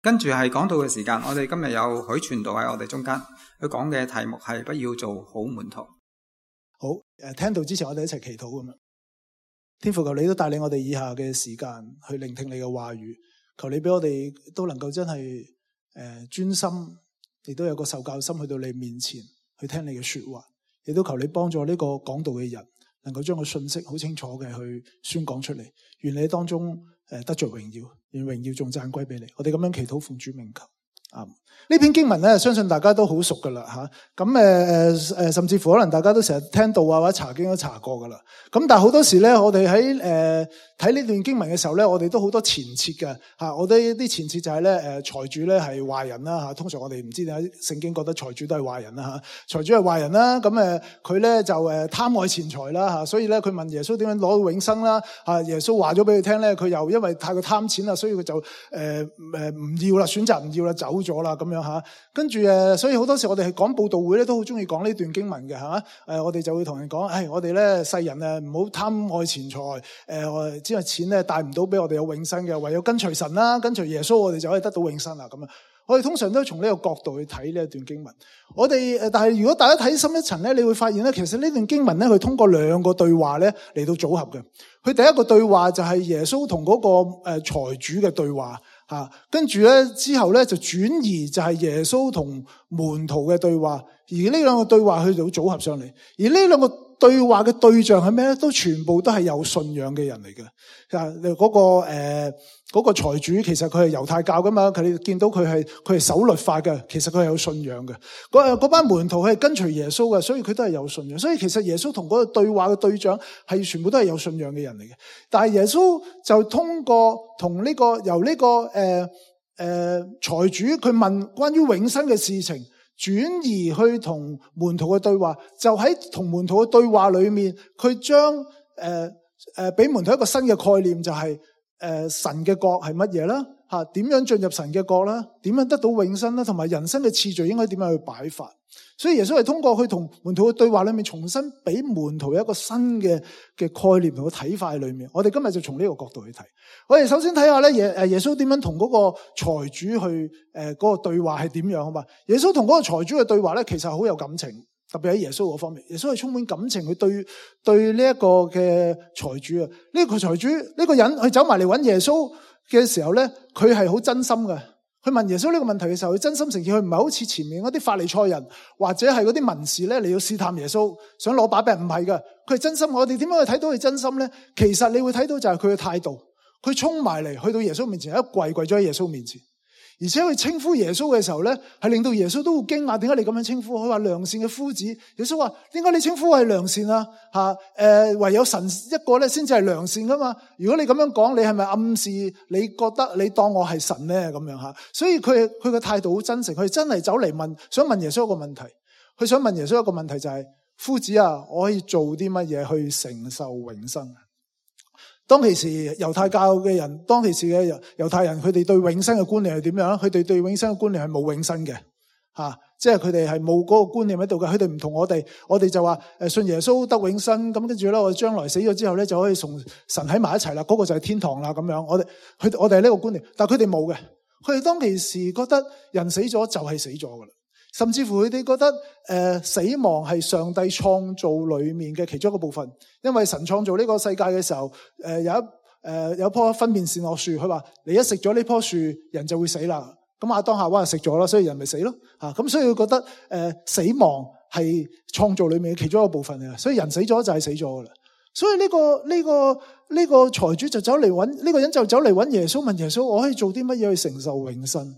跟住係講道嘅時間，我哋今日有許傳道喺我哋中間，佢講嘅題目係不要做好門徒。好，聽到之前我哋一齊祈禱咁樣。天父，求你都帶領我哋以下嘅時間去聆聽你嘅話語，求你俾我哋都能夠真係專心，亦都有個受教心去到你面前去聽你嘅說話，亦都求你幫助呢個講道嘅人能夠將個信息好清楚嘅去宣講出嚟，願你當中得着榮耀，願榮耀仲讚歸俾你。我哋咁樣祈禱奉主名求。呢篇經文咧，相信大家都好熟噶啦吓。咁甚至乎可能大家都成日聽到啊，或者查經都查過噶啦。咁但係好多時咧，我哋喺睇呢段經文嘅時候咧，我哋都好多前設嘅吓。我哋啲前設就係咧，財主咧係壞人啦吓。通常我哋唔知點解聖經覺得財主都係壞人啦吓。財主係壞人啦，咁佢咧就貪愛錢財啦吓。所以咧佢問耶穌點樣攞到永生啦吓。耶穌話咗俾佢聽咧，佢又因為太過貪錢啦，所以佢就唔要啦，選擇唔要啦，走咗啦咁樣吓。跟住所以好多時我哋係講佈道會咧，都好中意講呢段經文嘅吓。我哋就會同人講，我哋咧世人唔好貪愛錢財，只係錢咧帶唔到俾我哋有永生嘅，唯有跟隨神啦，跟隨耶穌，我哋就可以得到永生啦咁樣。我哋通常都從呢個角度去睇呢一段經文。我哋但係如果大家睇深一層咧，你會發現咧，其實呢段經文咧，佢通過兩個對話咧嚟到組合嘅。佢第一個對話就係耶穌同嗰個財主嘅對話。跟住咧之後咧就轉移就係耶穌同門徒嘅對話，而呢兩個對話去到組合上嚟，而呢兩個對話嘅對象係咩咧？都全部都係有信仰嘅人嚟嘅。嗰個財主其實佢係猶太教噶嘛，佢哋見到佢係守律法嘅，其實佢係有信仰嘅。嗰班門徒佢係跟隨耶穌嘅，所以佢都係有信仰。所以其實耶穌同嗰個對話嘅對象係全部都係有信仰嘅人嚟嘅。但係耶穌就通過同呢個由呢個財主佢問關於永生嘅事情，轉移去同門徒嘅對話，就喺同門徒嘅對話裏面，佢將俾門徒一個新嘅概念，就係神嘅國係乜嘢啦？點樣進入神嘅國啦？點樣得到永生啦？同埋人生嘅次序應該點樣去擺法？所以耶穌係通過去同門徒嘅對話裏面，重新俾門徒一個新嘅概念同個睇法喺裏面。我哋今日就從呢個角度去睇。我哋首先睇下咧，耶穌點樣同嗰個財主去嗰個對話係點樣好嘛？耶穌同嗰個財主嘅對話咧，其實好有感情。特別喺耶穌嗰方面，耶穌係充滿感情去對呢一個嘅財主啊，呢個財主呢個人佢走埋嚟揾耶穌嘅時候咧，佢係好真心嘅。佢問耶穌呢個問題嘅時候，佢真心誠意，佢唔係好似前面嗰啲法利賽人或者係嗰啲文士咧嚟要試探耶穌，想攞把柄，唔係嘅，佢係真心。我哋點樣去睇到佢真心咧？其實你會睇到就係佢嘅態度，佢衝埋嚟去到耶穌面前，一跪咗喺耶穌面前。而且佢稱呼耶穌嘅時候咧，係令到耶穌都好驚訝，點解你咁樣稱呼？佢話良善嘅夫子。耶穌話：點解你稱呼我係良善啊？唯有神一個咧先至係良善噶嘛。如果你咁樣講，你係咪暗示你覺得你當我係神咧？咁樣吓。所以佢嘅態度好真誠，佢真係走嚟問，想問耶穌一個問題。佢想問耶穌一個問題就係：夫子啊，我可以做啲乜嘢去承受永生？當其時猶太教嘅人，當其時嘅猶太人，佢哋對永生嘅觀念係點樣？佢哋對永生嘅觀念係冇永生嘅，即係佢哋係冇嗰個觀念喺度嘅。佢哋唔同我哋就話信耶穌得永生，咁跟住咧我哋將來死咗之後咧就可以同神喺埋一齊啦，嗰個就係天堂啦咁樣。我哋係呢個觀念，但係佢哋冇嘅。佢哋當其時覺得人死咗就係死咗噶啦。甚至乎佢哋覺得死亡係上帝創造裏面嘅其中一個部分，因為神創造呢個世界嘅時候，有一棵分辨善惡樹，佢話你一食咗呢棵樹，人就會死啦。咁亞當夏娃就食咗啦，所以人咪死咯。咁所以佢覺得死亡係創造裏面嘅其中一個部分嘅，所以人死咗就係死咗噶啦。所以呢個財主就走嚟揾呢個人，就走嚟揾耶穌，問耶穌：我可以做啲乜嘢去承受永生？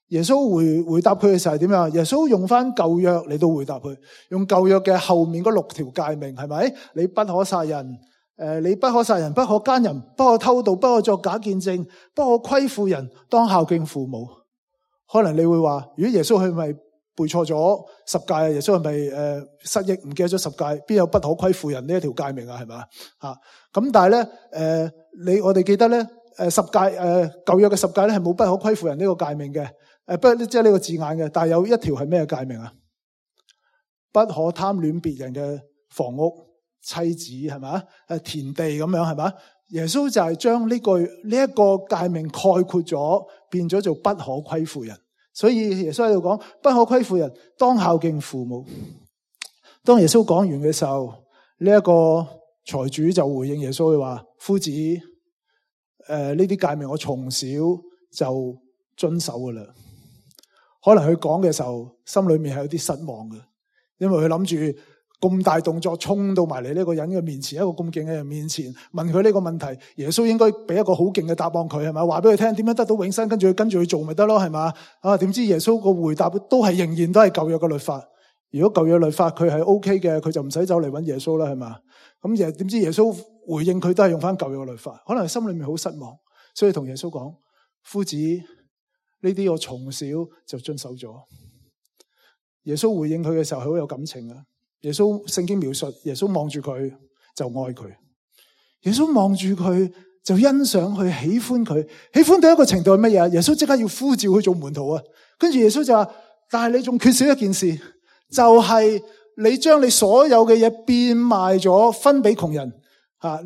耶穌回答佢嘅時候係點樣？耶穌用翻舊約嚟到回答佢，用舊約嘅後面嗰6條誡命，係咪？你不可殺人，你不可殺人，不可奸淫，不可偷盜，不可作假見證，不可虧負人，當孝敬父母。可能你會話，如果耶穌係咪背錯咗10誡啊？耶穌係咪失憶唔記得咗10誡？邊有不可虧負人呢一條誡命啊？係咪咁但係咧，我哋記得咧，10誡舊約嘅10誡咧係冇不可虧負人呢個誡命嘅。不過即係呢個字眼嘅，但係有一條係咩誡命啊？不可貪戀別人嘅房屋、妻子，係咪？田地咁樣，係咪？耶穌就係將呢一個誡命概括咗，變咗做不可虧負人。所以耶穌喺度講，不可虧負人，當孝敬父母。當耶穌講完嘅時候，呢一個財主就回應耶穌，佢話：夫子，呢啲誡命我從小就遵守噶啦。可能佢講嘅時候，心裏面係有啲失望嘅，因為佢諗住咁大動作衝到埋嚟呢個人嘅面前，一個咁勁嘅人面前問佢呢個問題，耶穌應該俾一個好勁嘅答案佢，係咪？話俾佢聽點樣得到永生，跟住佢做咪得咯，係嘛？點知耶穌個回答都係仍然都係舊約嘅律法。如果舊約律法佢係 OK 嘅，佢就唔使走嚟揾耶穌啦，係嘛？咁點知耶穌回應佢都係用翻舊約嘅律法，可能心裏面好失望，所以同耶穌講：夫子，呢啲我從小就遵守咗。耶穌回應佢嘅時候係好有感情啊！耶穌聖經描述，耶穌望住佢就愛佢，耶穌望住佢就欣賞佢，喜歡佢，喜歡到一個程度係乜嘢？耶穌即刻要呼召佢做門徒啊！跟住耶穌就話：但係你仲缺少一件事，就係你將你所有嘅嘢變賣咗，分俾窮人，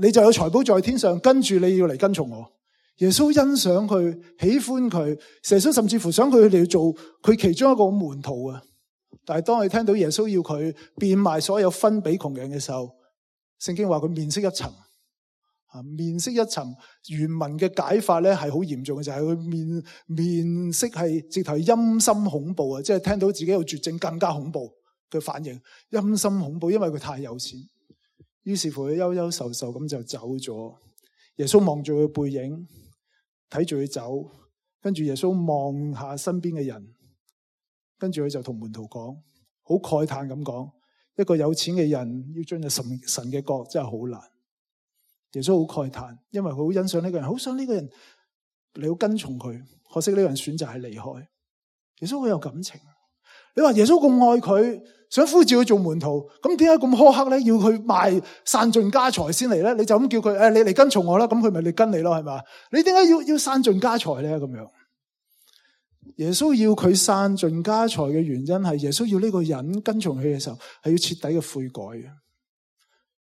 你就有財寶在天上。跟住你要嚟跟從我。耶穌欣賞佢，喜歡佢，耶穌甚至乎想佢哋做佢其中一個門徒啊！但係當佢聽到耶穌要佢變賣所有分俾窮人嘅時候，聖經話佢面色一沉。面色一沉，原文嘅解法咧係好嚴重嘅，就係佢面色係直頭陰森恐怖啊！即係聽到自己有絕症更加恐怖嘅反應，陰森恐怖，因為佢太有錢。於是乎佢憂憂愁愁咁就走咗。耶穌望住佢背影，睇住佢走，跟住耶穌望下身邊嘅人。跟住佢就同門徒講，好慨嘆咁講，一個有錢嘅人要進入神嘅國真係好難。耶穌好慨嘆，因為佢好欣賞呢個人，好想呢個人你要跟從佢，可惜呢個人選擇係離開。耶穌好有感情。你話耶穌咁愛佢，想呼召佢做門徒，咁點解咁苛刻咧？要佢賣散盡家財先嚟咧？你就咁叫佢，你嚟跟從我啦，咁佢咪嚟跟你咯，係嘛？你點解要散盡家財咧？咁樣。耶穌要佢散盡家財嘅原因係耶穌要呢個人跟從佢嘅時候係要徹底嘅悔改嘅。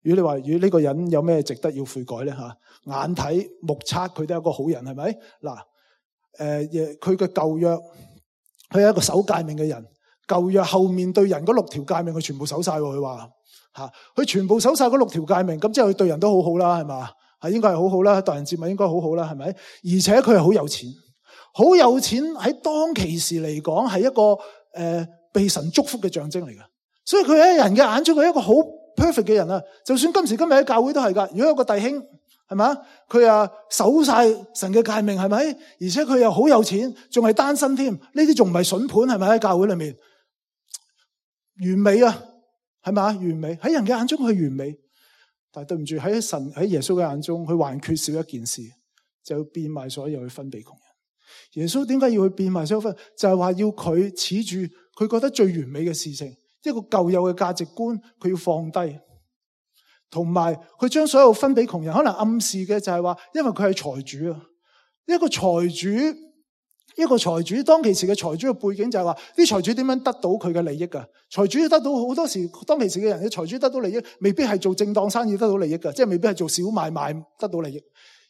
如果你話如果呢個人有咩值得要悔改咧眼睇目測佢都係一個好人，係咪？嗱，佢嘅舊約佢係一個守誡命嘅人，舊約後面對人嗰6條誡命佢全部守晒，佢話佢全部守晒嗰6條誡命，咁即係佢對人都好好啦，係嘛？應該係好好啦，待人接物應該好好啦，係咪？而且佢係好有錢。好有錢喺當其時嚟講係一個被神祝福嘅象徵嚟嘅，所以佢喺人嘅眼中係一個好 perfect 嘅人啊！就算今時今日喺教會都係噶，如果有個弟兄係咪佢守晒神嘅誡命係咪？而且佢又好有錢，仲係單身添，呢啲仲唔係筍盤係咪？喺教會裏面完美啊，係咪？完美喺人嘅眼中佢完美，但係對唔住喺耶穌嘅眼中，佢還缺少一件事，就要變賣所有去分俾窮人。耶穌點解要去變賣所有分？就係話要佢恃住佢覺得最完美嘅事情，一個舊有嘅價值觀，佢要放低，同埋佢將所有分俾窮人。可能暗示嘅就係話，因為佢係財主啊，一個財主當其時嘅財主嘅背景就係話，啲財主點樣得到佢嘅利益噶？財主得到好多時，當其時嘅人嘅財主得到利益，未必係做正當生意得到利益噶，即係未必係做小買賣得到利益。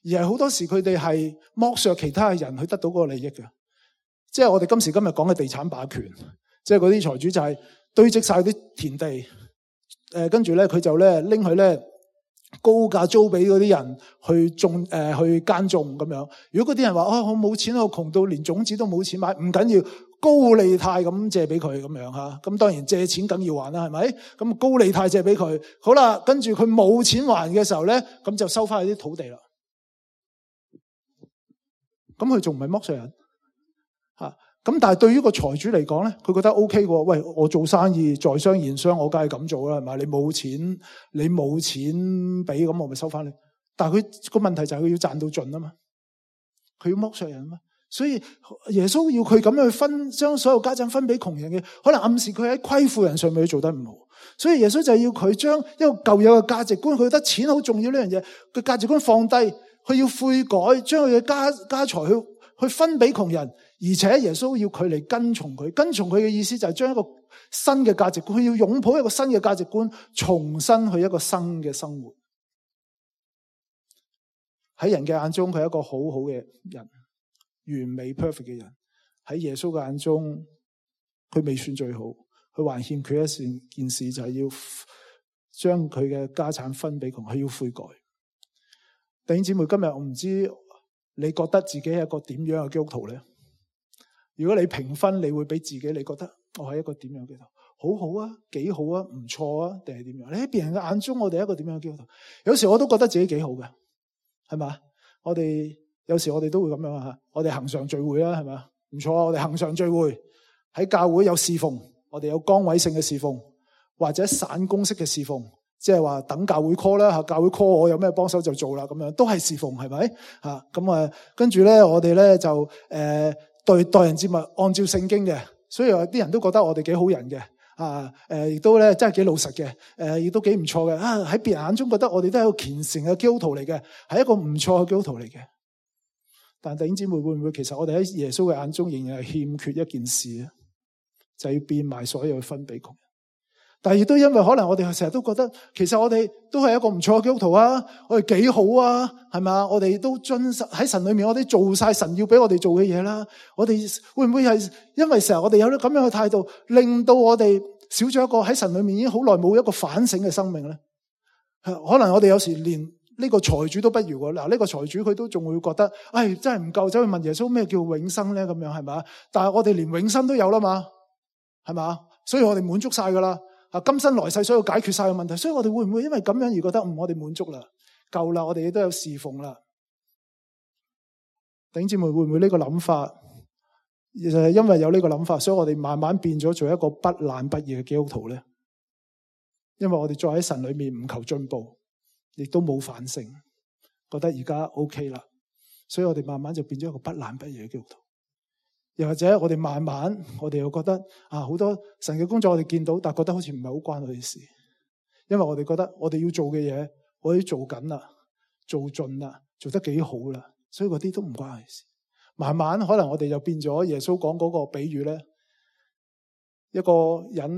而係好多時佢哋係剝削其他嘅人去得到嗰個利益嘅，即係我哋今時今日講嘅地產霸權，即係嗰啲財主就係堆積晒啲田地，跟住咧佢就咧拎去咧高價租俾嗰啲人去種去耕種咁樣。如果嗰啲人話我冇錢，我窮到連種子都冇錢買，唔緊要，高利貸咁借俾佢咁樣吓。咁當然借錢梗要還啦，係咪？咁高利貸借俾佢，好啦，跟住佢冇錢還嘅時候咧，咁就收翻佢啲土地啦。咁佢仲唔係剝削人咁？但係對於個財主嚟講咧，佢覺得 OK 喎。喂，我做生意在商言商，我梗係咁做啦，係咪？你冇錢俾，咁我咪收翻你。但係佢個問題就係佢要賺到盡啊嘛，佢要剝削人啊嘛。所以耶穌要佢咁樣去將所有家產分俾窮人嘅，可能暗示佢喺虧負人上面做得唔好。所以耶穌就要佢將一個舊有嘅價值觀，佢覺得錢好重要呢樣嘢，佢價值觀放低。佢要悔改，將佢嘅家財去分俾窮人，而且耶穌要佢嚟跟從佢。跟從佢嘅意思就係將一個新嘅價值觀，佢要擁抱一個新嘅價值觀，重新去一個新嘅生活。喺人嘅眼中佢係一個好好嘅人，完美 perfect 嘅人。喺耶穌嘅眼中，佢未算最好，佢還欠缺一件事，就係要將佢嘅家產分俾窮，佢要悔改。弟兄姊妹，今日我唔知你覺得自己係一個點樣嘅基督徒咧？如果你評分，你會俾自己，你覺得我係一個點樣嘅基督徒？好好啊，幾好啊，唔錯啊，定係點樣？你喺別人嘅眼中，我哋係一個點樣嘅基督徒？有時我都覺得自己幾好嘅，係嘛？有時我哋都會咁樣啊！我哋恆常聚會啦，係嘛？唔錯啊！我哋恆常聚會喺教會有侍奉，我哋有崗位性嘅侍奉，或者散工式嘅侍奉，即係話等教會 call 啦，教會 call 我有咩幫手就做啦，咁樣都係侍奉，係咪？咁跟住咧，我哋咧就待人接物按照聖經嘅，所以有啲人都覺得我哋幾好人嘅。亦都咧真係幾老實嘅，亦都幾唔錯嘅。喺別人眼中覺得我哋都係一個虔誠嘅基督徒嚟嘅，係一個唔錯嘅基督徒嚟嘅。但弟兄姊妹，會唔會其實我哋喺耶穌嘅眼中仍然係欠缺一件事咧？就係要變賣所有分俾窮人。但係亦都因為可能我哋成日都覺得，其實我哋都係一個唔錯嘅基督徒啊，我哋幾好啊，係咪？我哋都遵守喺神裏面，我哋做晒神要俾我哋做嘅嘢啦。我哋會唔會係因為成日我哋有啲咁樣嘅態度，令到我哋少咗一個喺神裏面已經好耐冇一個反省嘅生命咧？可能我哋有時連呢個財主都不如喎。嗱，呢個財主佢都仲會覺得，真係唔夠，走去問耶穌咩叫永生咧？咁樣係咪？但係我哋連永生都有啦嘛，係嘛？所以我哋滿足晒噶啦。今生來世所有解決晒嘅問題，所以我哋會唔會因為咁樣而覺得我哋滿足啦，夠啦，我哋亦都有侍奉啦？弟兄姊妹，會唔會呢個諗法，就係因為有呢個諗法，所以我哋慢慢變咗做一個不懶不義嘅基督徒咧？因為我哋再喺神裏面唔求進步，亦都冇反省，覺得而家 OK 啦，所以我哋慢慢就變咗一個不懶不義嘅基督徒。又或者我哋慢慢，我哋又覺得好多神嘅工作我哋見到，但係覺得好似唔係好關我哋事，因為我哋覺得我哋要做嘅嘢，我哋做緊啦，做盡啦，做得幾好啦，所以嗰啲都唔關我哋事。慢慢可能我哋就變咗耶穌講嗰個比喻咧，一個人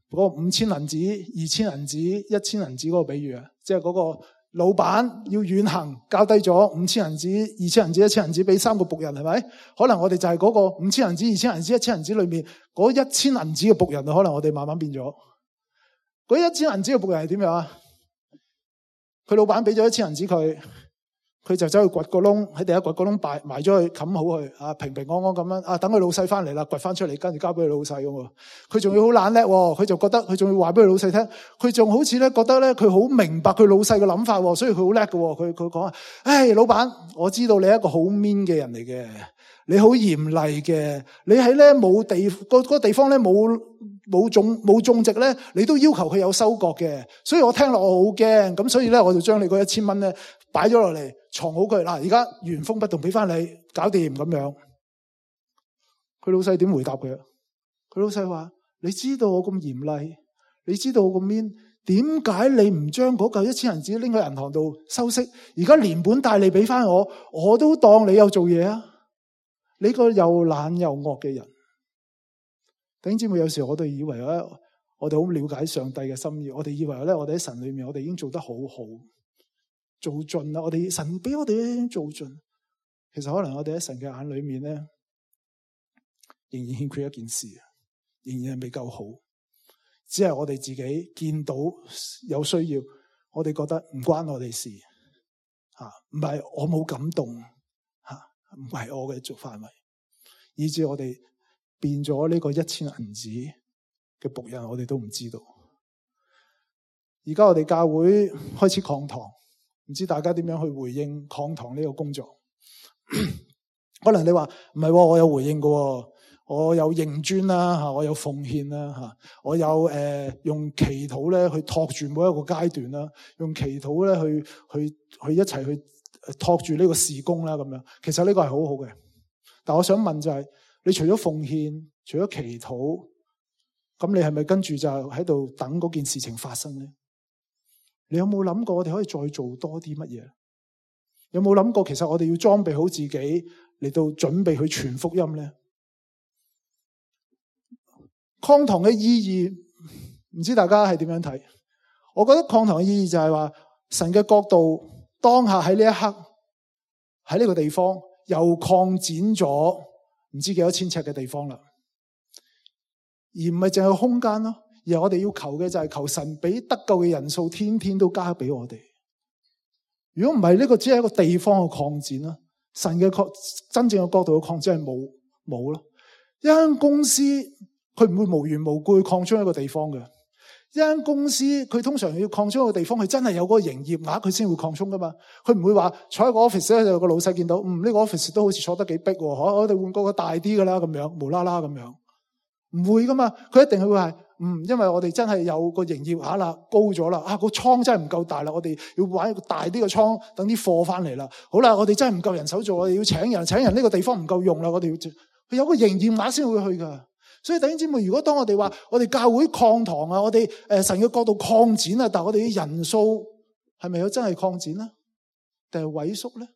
嗰個5千銀子、2千銀子、1千銀子嗰個比喻啊，即係嗰個老闆要遠行，交低咗5千銀子、2千銀子、1千銀子俾3個僕人，係咪？可能我哋就係嗰個5千銀子、2千銀子、1千銀子裏面嗰1千銀子嘅僕人，可能我哋慢慢變咗。嗰1千銀子嘅僕人係點樣啊？佢老闆俾咗1千銀子佢就走去掘個窿，喺第一掘個窿埋咗去，冚好佢，平平安安咁樣，等佢老細翻嚟啦，掘翻出嚟，跟住交俾佢老細咁。佢仲要好懶叻，佢就覺得佢仲要話俾佢老細聽，佢仲好似咧覺得咧佢好明白佢老細嘅諗法，所以佢好叻嘅。佢講啊，老闆，我知道你係一個好 mean 嘅人嚟嘅，你好嚴厲嘅，你喺咧冇地嗰個地方咧冇種植咧，你都要求佢有收割嘅，所以我聽落我好驚，咁所以咧我就將你嗰1000蚊咧擺咗落嚟，藏好佢。嗱，而家原封不動俾翻你，搞掂咁樣。佢老細點回答佢啊？佢老細話：你知道我咁嚴厲，你知道我咁 mean，點解你唔將嗰嚿1千銀子拎去銀行度收息？而家連本帶利俾翻我，我都當你有做嘢啊！你個又懶又惡嘅人。弟兄姊妹，有時我哋以為咧，我哋好了解上帝嘅心意，我哋以為咧，我哋喺神裏面，我哋已經做得好好，做盡啦。我哋神俾我哋已經做盡，其實可能我哋喺神嘅眼裏面咧，仍然欠缺一件事，仍然係未夠好。只係我哋自己見到有需要，我哋覺得唔關我哋事，唔係我冇感動，唔係我嘅做範圍，以致我哋變咗呢個1千銀子嘅僕人，我哋都唔知道。而家我哋教會開始擴堂，唔知大家點樣去回應擴堂呢個工作？可能你話唔係，我有回應嘅，我有認專啦，我有奉獻啦，我有用祈禱咧去托住每一個階段啦，用祈禱咧去一齊去托住呢個事工啦，咁樣。其實呢個係好好嘅，但我想問就係，你除咗奉獻，除咗祈禱，咁你係咪跟住就喺度等嗰件事情發生咧？你有冇諗過我哋可以再做多啲乜嘢？有冇諗過其實我哋要裝備好自己嚟到準備去傳福音咧？擴堂嘅意義，唔知大家係點樣睇？我覺得擴堂嘅意義就係話，神嘅國度當下喺呢一刻喺呢個地方又擴展咗唔知幾多千尺嘅地方啦，而唔係淨係空間咯，而係我哋要求嘅就係求神俾得救嘅人數天天都加俾我哋。如果唔係，呢個只係一個地方嘅擴展啦，神嘅真正嘅角度嘅擴展係冇咯。一間公司佢唔會無緣無故去擴張一個地方嘅。一間公司佢通常要擴張一個地方，佢真係有嗰個營業額，佢先會擴充噶嘛。佢唔會話坐喺個 office 咧，就個老細見到，呢個 office 都好似坐得幾逼喎，我哋換個大啲噶啦，咁樣無啦啦咁樣，唔會噶嘛。佢一定係會係，因為我哋真係有個營業額啦，高咗啦，個倉真係唔夠大啦，我哋要玩一個大啲嘅倉，等啲貨翻嚟啦。好啦，我哋真係唔夠人手做，我哋要請人，呢個地方唔夠用啦，我哋要佢有個營業額先會去噶。所以弟兄姊妹，如果當我哋話我哋教會擴堂啊，我哋神嘅角度擴展啊，但係我哋嘅人數係咪有真係擴展咧？定係萎縮咧？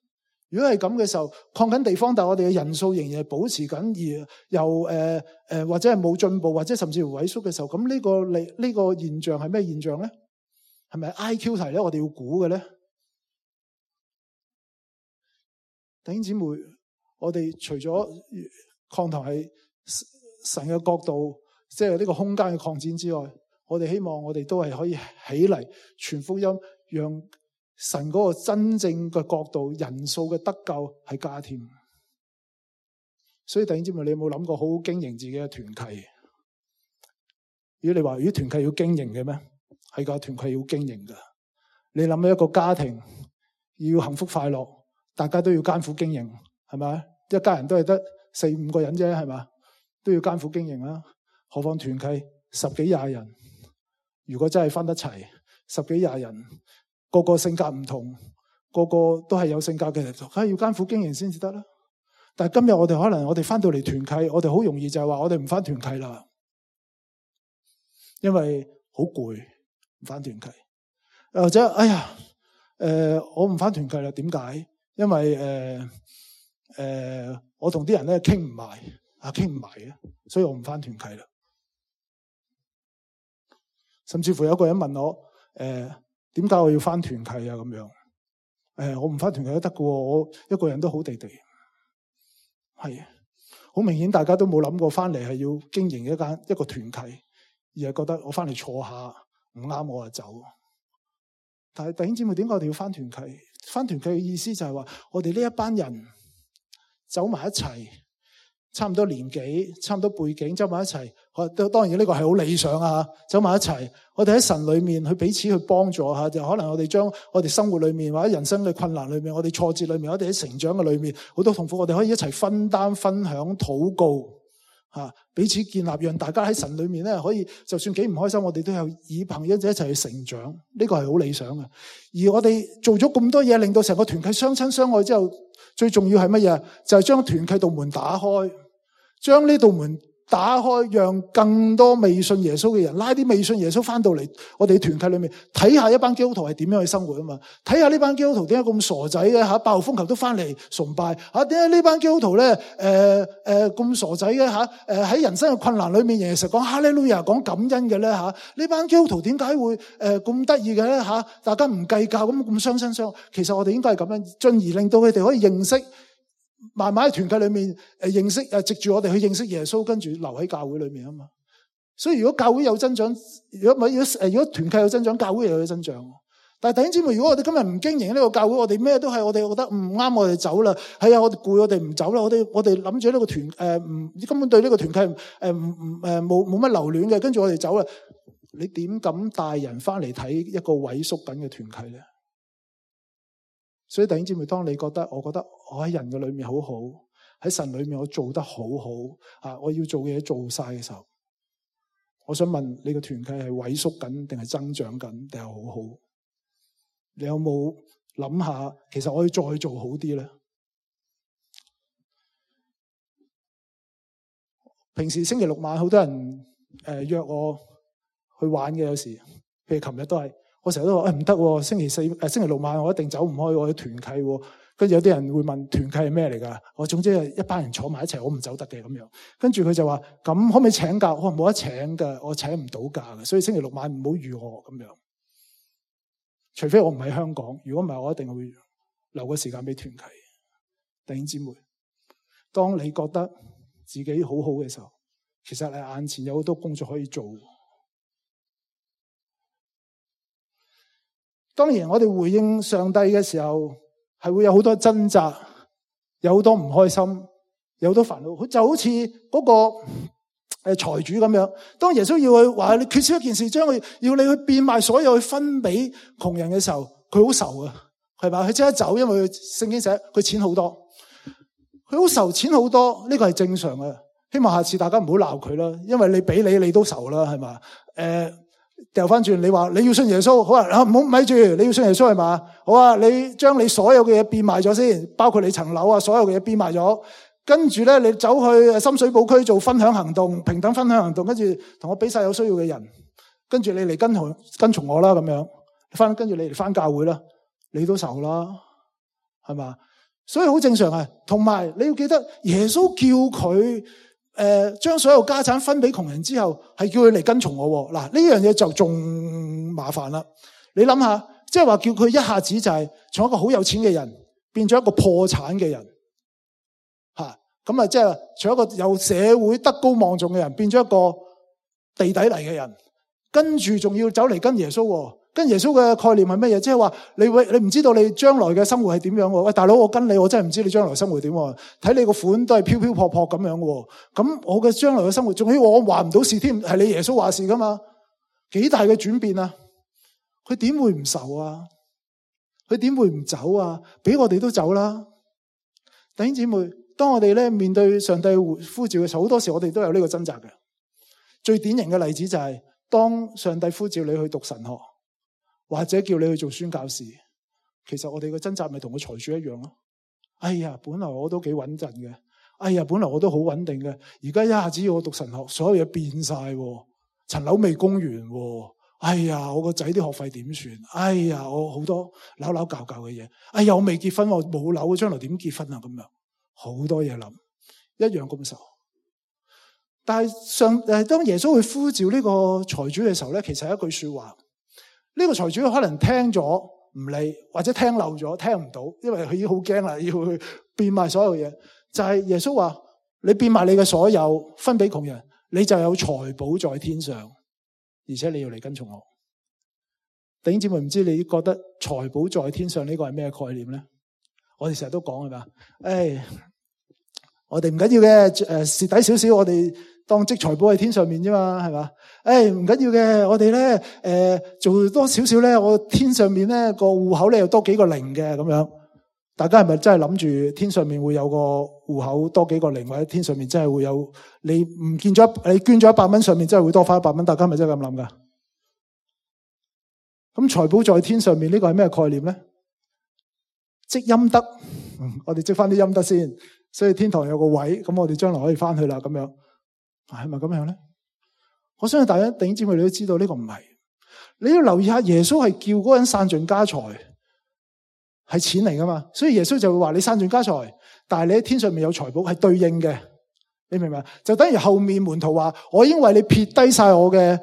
如果係咁嘅時候，擴緊地方，但係我哋嘅人數仍然係保持緊，而又或者係冇進步，或者甚至乎萎縮嘅時候，咁呢個現象係咩現象咧？係咪 IQ 題咧？我哋要估嘅咧？弟兄姊妹，我哋除咗擴堂係神嘅角度，即係呢個空間嘅擴展之外，我哋希望我哋都係可以起嚟傳福音，讓神嗰個真正嘅角度、人數嘅得救係加添。所以弟兄姊妹，你有冇諗過好好經營自己嘅團契？如果你話如果團契要經營嘅咩？係噶，團契要經營噶。你諗下一個家庭要幸福快樂，大家都要艱苦經營，係咪？一家人都係得4-5個人啫，係咪？都要艱苦經營啦，何況團契10幾20人，如果真係分得齊10幾20人，個個性格唔同，個個都係有性格嘅，梗係要艱苦經營先至得啦。但係今日我哋可能我哋翻到嚟團契，我哋好容易就係話我哋唔翻團契啦，因為好攰，唔翻團契，或者我唔翻團契啦，點解？因為我同啲人咧傾唔埋。傾唔埋嘅，所以我唔翻團契啦。甚至乎有個人問我，點解我要翻團契啊？咁樣，我唔翻團契都得㗎，我一個人都好地地。係，好明顯大家都冇諗過翻嚟係要經營一個團契，而係覺得我翻嚟坐下唔啱我就走。但係弟兄姊妹，點解我哋要翻團契？翻團契嘅意思就係話，我哋呢一班人走埋一齊。差唔多年紀，差唔多背景，走埋一齊。當然呢個係好理想啊！走埋一齊，我哋喺神裏面去彼此去幫助下，就可能我哋將我哋生活裏面或者人生嘅困難裏面，我哋挫折裏面，我哋喺成長嘅裏面好多痛苦，我哋可以一齊分擔、分享、禱告，彼此建立，讓大家喺神裏面咧可以，就算幾唔開心，我哋都有以朋友一齊去成長。呢個係好理想嘅。而我哋做咗咁多嘢，令到成個團契相親相愛之後，最重要係乜嘢？就係將團契道門打開。將呢道門打開，讓更多未信耶穌嘅人拉啲未信耶穌翻到嚟我哋團契裏面，睇下一班基督徒係點樣去生活啊嘛！睇下呢班基督徒點解咁傻仔嘅吓，8號風球都翻嚟崇拜吓，點解呢班基督徒咧咁傻仔嘅吓？喺人生嘅困難裏面，仍然成日講哈利路亞講感恩嘅咧吓？呢班基督徒點解會咁得意嘅咧吓？大家唔計較咁相親相愛，其實我哋應該係咁樣，進而令到佢哋可以認識。慢慢喺團契裏面認識，藉住我哋去認識耶穌，跟住留喺教會裏面啊嘛。所以如果教會有增長，如果團契有增長，教會又有增長。但係弟兄姊妹，如果我哋今日唔經營呢個教會，我哋咩都係，我哋覺得唔啱，我哋走啦。係啊，我哋攰，我哋唔走啦。我哋諗住呢個團根本對呢個團契冇乜留戀嘅，跟住我哋走啦。你點敢帶人翻嚟睇一個萎縮緊嘅團契咧？所以弟兄姊妹，當你覺得我喺人嘅裏面好好，喺神裏面我做得好好，我要做嘅嘢做晒嘅時候，我想問你個團契係萎縮緊定係增長緊定係好好？你有冇諗下，其實我要再做好啲咧？平時星期六晚好多人約我去玩嘅，有時譬如琴日都係。我成日都話唔得，星期六晚我一定走唔開，我啲團契。跟住有啲人會問團契係咩嚟㗎？我總之係一班人坐埋一齊，我唔走得嘅咁樣。跟住佢就話：咁可唔可以請假？我話冇得請㗎，我請唔到假嘅，所以星期六晚唔好預我咁樣。除非我唔喺香港，如果唔係，我一定會留個時間俾團契。弟兄姊妹，當你覺得自己好好嘅時候，其實你眼前有好多工作可以做。當然我哋回應上帝嘅時候，係會有好多掙扎，有好多唔開心，有好多煩惱。就好似嗰個財主咁樣，當耶穌要去話你缺少一件事，將佢要你去變賣所有去分俾窮人嘅時候，佢好愁啊，係嘛？佢即刻走，因為聖經寫佢錢好多，佢好愁錢好多，呢個係正常嘅。希望下次大家唔好鬧佢啦，因為你俾你都愁啦，係嘛？掉翻轉，你話你要信耶穌，好啊，唔好咪住，你要信耶穌係嘛？好啊，你將你所有嘅嘢變賣咗先，包括你層樓啊，所有嘅嘢變賣咗，跟住咧你走去深水埗區做分享行動，平等分享行動，跟住同我俾晒有需要嘅人，跟住你嚟跟從我啦，咁樣跟住你嚟翻教會啦，你都愁啦，係嘛？所以好正常啊。同埋你要記得，耶穌叫佢將所有家產分俾窮人之後，係叫佢嚟跟從我。嗱，呢樣嘢就仲麻煩啦。你諗下，即係話叫佢一下子就係從一個好有錢嘅人變咗一個破產嘅人，咁啊，即係從一個有社會德高望重嘅人變咗一個地底嚟嘅人，跟住仲要走嚟跟耶穌。跟耶穌嘅概念係乜嘢？即係話你唔知道你將來嘅生活係點樣喎？喂，大佬，我跟你，我真係唔知你將來生活點喎。睇你個款都係飄飄泊泊咁樣喎。咁我嘅將來嘅生活，仲要我話唔到事添，係你耶穌話事噶嘛？幾大嘅轉變啊！佢點會唔愁啊？佢點會唔走啊？俾我哋都走啦。弟兄姊妹，當我哋咧面對上帝呼召嘅時候，好多時我哋都有呢個掙扎嘅。最典型嘅例子就係當上帝呼召你去讀神學，或者叫你去做宣教士，其實我哋嘅掙扎咪同個財主一樣咯。哎呀，本來我都幾穩陣嘅，哎呀，本來我都好穩定嘅，而家一下子要我讀神學，所有嘢變晒，層樓未供完，哎呀，我個仔啲學費點算？哎呀，我好多扭扭教教嘅嘢，哎呀，我未結婚，我冇樓，將來點結婚啊？咁樣好多嘢諗，一樣咁愁。但係當耶穌去呼召呢個財主嘅時候咧，其實係一句說話。呢個財主可能聽咗唔理，或者聽漏咗，聽唔到，因為佢已經好驚啦，要去變賣所有嘢。就係耶穌話：你變賣你嘅所有，分俾窮人，你就有財寶在天上，而且你要嚟跟從我。弟兄姊妹，唔知你覺得財寶在天上呢個係咩概念咧？我哋成日都講係嘛？我哋唔緊要嘅，蝕底少少，我哋當積財寶喺天上面啫嘛，係嘛？唔緊要嘅，我哋咧做多少少咧，我天上面咧個戶口咧又多幾個零嘅咁樣。大家係咪真係諗住天上面會有個戶口多幾個零，或者天上面真係會有你唔見咗你捐咗100蚊，上面真係會多翻100蚊？大家係咪真係咁諗噶？咁財寶在天上面呢個係咩概念咧？積陰德，我哋積翻啲陰德先，所以天堂有個位，咁我哋將來可以翻去啦，咁樣係咪咁樣咧？我相信大家弟兄姊妹你都知道呢個唔係。你要留意下，耶穌係叫嗰個人散盡家財，係錢嚟噶嘛？所以耶穌就會話你散盡家財，但係你喺天上面有財寶，係對應嘅。你明唔明？就等於後面門徒話：我已經為你撇低晒我嘅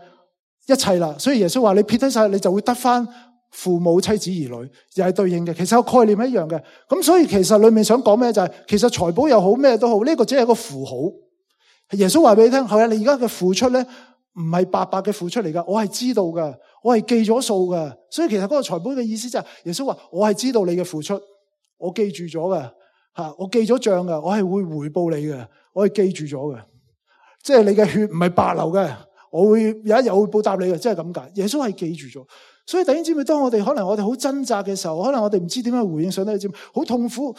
一切啦。所以耶穌話你撇低晒，你就會得翻父母、妻子、兒女，又係對應嘅。其實個概念一樣嘅。咁所以其實裏面想講咩就係，其實財寶又好咩都好，呢個只係一個符號。耶穌話俾你聽，係啊，你而家嘅付出咧，唔係白白嘅付出嚟噶，我係知道噶，我係記咗數噶。所以其實嗰個財寶嘅意思就係，耶穌話我係知道你嘅付出，我記住咗噶，我記咗賬噶，我係會回報你嘅，我係記住咗嘅。即係你嘅血唔係白流嘅，我會有一日會報答你嘅，即係咁解。耶穌係記住咗。所以弟兄姊妹，當我哋可能我哋好掙扎嘅時候，可能我哋唔知點樣回應上帝嘅節目，好痛苦。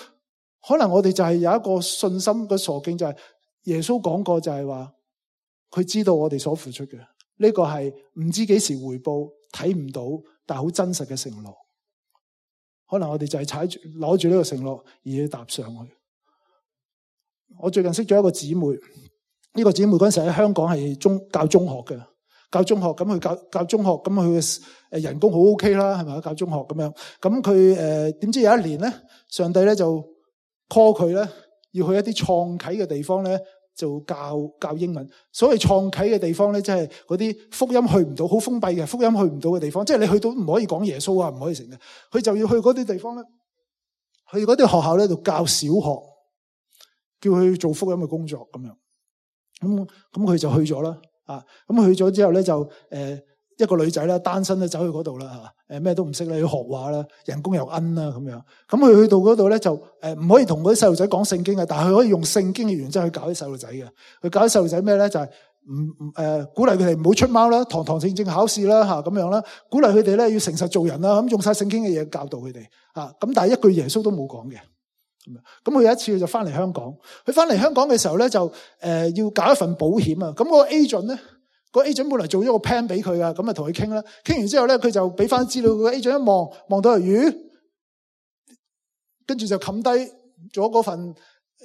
可能我哋就係有一個信心嘅傻勁，就係耶穌講過就係話，佢知道我哋所付出嘅，呢個係唔知幾時回報，睇唔到，但係好真實嘅承諾。可能我哋就係踩住攞住呢個承諾而去踏上去。我最近識咗一個姊妹，呢個姊妹嗰陣時喺香港係教中學嘅。教中學咁佢教中學，咁佢嘅人工好 OK 啦，係咪？教中學咁樣，咁佢點知有一年咧，上帝咧就 call 佢咧，要去一啲創啟嘅地方咧，就教英文。所謂創啟嘅地方咧，即係嗰啲福音去唔到，好封閉嘅福音去唔到嘅地方，即係你去到唔可以講耶穌啊，唔可以成嘅。佢就要去嗰啲地方咧，去嗰啲學校咧度教小學，叫佢做福音嘅工作咁樣。咁佢就去咗啦。咁去咗之後咧就一個女仔啦，單身咧走去嗰度啦嚇，咩都唔識咧，要學畫啦，人工又奀啦咁樣。咁佢去到嗰度咧就唔可以同嗰啲細路仔講聖經嘅，但係佢可以用聖經嘅原則去教啲細路仔嘅。佢教啲細路仔咩咧？就係鼓勵佢哋唔好出貓啦，堂堂正正考試啦嚇咁樣啦，鼓勵佢哋咧要誠實做人啦，咁用晒聖經嘅嘢教導佢哋嚇。咁但係一句耶穌都冇講嘅。咁佢有一次佢就翻嚟香港，佢翻嚟香港嘅時候咧就要搞一份保險啊。咁嗰個 agent 咧。個 agent 本來做咗個 plan 俾佢噶，咁啊同佢傾啦，傾完之後咧，佢就俾翻資料。個 agent 一望到魚，跟住就冚低咗嗰份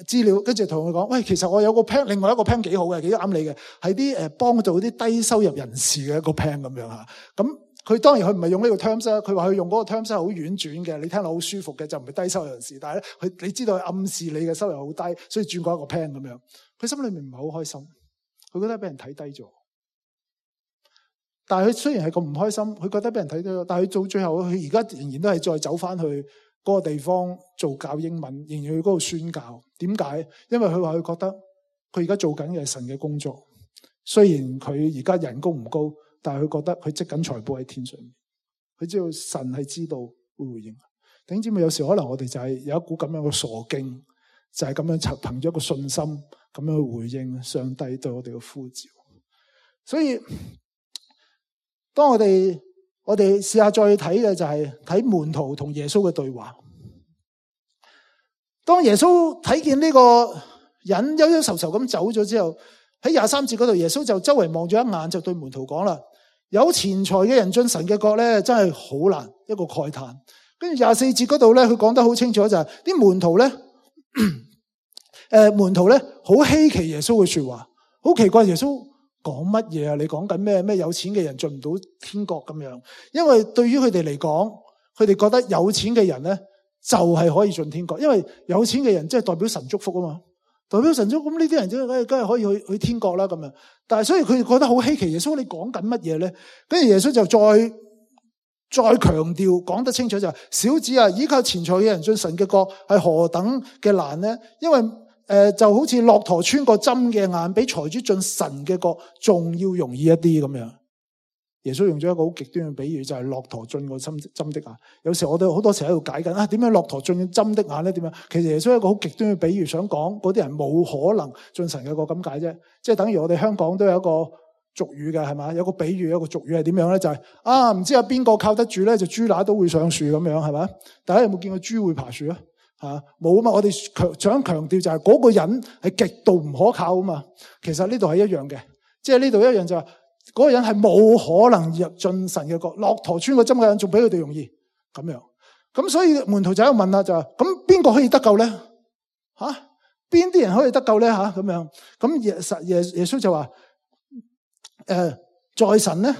資料，跟住同佢講：喂，其實我有個 plan，另外一個 plan 幾好嘅，幾啱你嘅，係啲幫助啲低收入人士嘅一個 plan 咁樣嚇。咁佢當然佢唔係用呢個 terms 啦，佢話佢用嗰個 terms 係好婉轉嘅，你聽落好舒服嘅，就唔係低收入人士。但係咧，你知道佢暗示你嘅收入好低，所以轉過一個 plan 咁樣。佢心裏面唔係好開心，佢覺得俾人睇低咗。但係佢雖然係咁唔開心，佢覺得俾人睇到，但係佢到最後，佢而家仍然都係再走翻去嗰個地方做教英文，仍然去嗰度宣教。點解？因為佢話佢覺得佢而家做緊嘅係神嘅工作。雖然佢而家人工唔高，但係佢覺得佢積緊財寶喺天上面。佢知道神係知道會回應。弟兄姊妹，有時可能我哋就係有一股咁樣嘅傻勁，就係咁樣憑咗一個信心咁樣去回應上帝對我哋嘅呼召。所以當我哋試下再睇嘅就係睇門徒同耶穌嘅對話。當耶穌睇見呢個人憂憂愁愁咁走咗之後，喺23節嗰度，耶穌就周圍望咗一眼，就對門徒講啦：有錢財嘅人進神嘅國咧，真係好難，一個慨嘆。跟住24節嗰度咧，佢講得好清楚就係啲門徒咧，門徒咧好稀奇耶穌嘅說話，好奇怪耶穌講乜嘢啊？你講緊咩有錢嘅人進唔到天國咁樣？因為對於佢哋嚟講，佢哋覺得有錢嘅人咧就係可以進天國，因為有錢嘅人即係代表神祝福啊嘛，代表神祝福，咁呢啲人梗係可以去天國啦咁樣。但係所以佢哋覺得好稀奇，耶穌你講緊乜嘢咧？跟住耶穌就再強調講得清楚就係：小子啊，依靠錢財嘅人進神嘅國係何等嘅難咧？因為就好似駱駝穿過針嘅眼，比財主進神嘅國仲要容易一啲咁樣。耶穌用咗一個好極端嘅比喻，就係駱駝進過針的眼。有時我哋好多時喺度解緊點樣駱駝進針的眼咧？點樣？其實耶穌一個好極端嘅比喻，想講嗰啲人冇可能進神嘅國咁解啫。即係等於我哋香港都有一個俗語嘅係嘛？有個比喻，有個俗語係點樣咧？就係唔知有邊個靠得住咧，就豬乸都會上樹咁樣係咪？大家有冇見過豬會爬樹啊？冇啊嘛！我哋想強調就係嗰個人係極度唔可靠啊嘛。其實呢度係一樣嘅，即係呢度一樣就係嗰個人係冇可能入進神嘅國。駱駝穿個針嘅人仲比佢哋容易咁樣。咁所以門徒就喺度問啦，就話咁邊個可以得救咧？邊啲人可以得救咧？咁樣咁耶穌就話在神咧，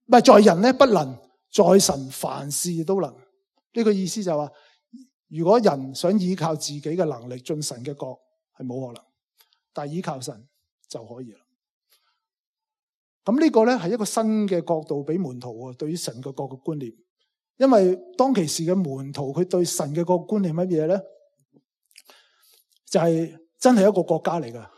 唔係在人咧不能，在神凡事都能。呢個意思就係話，如果人想依靠自己嘅能力進神嘅國係冇可能，但係依靠神就可以啦。咁呢個咧係一個新嘅角度俾門徒對於神嘅國嘅觀念。因為當其時嘅門徒佢對神嘅國觀念乜嘢咧，就係真係一個國家嚟噶。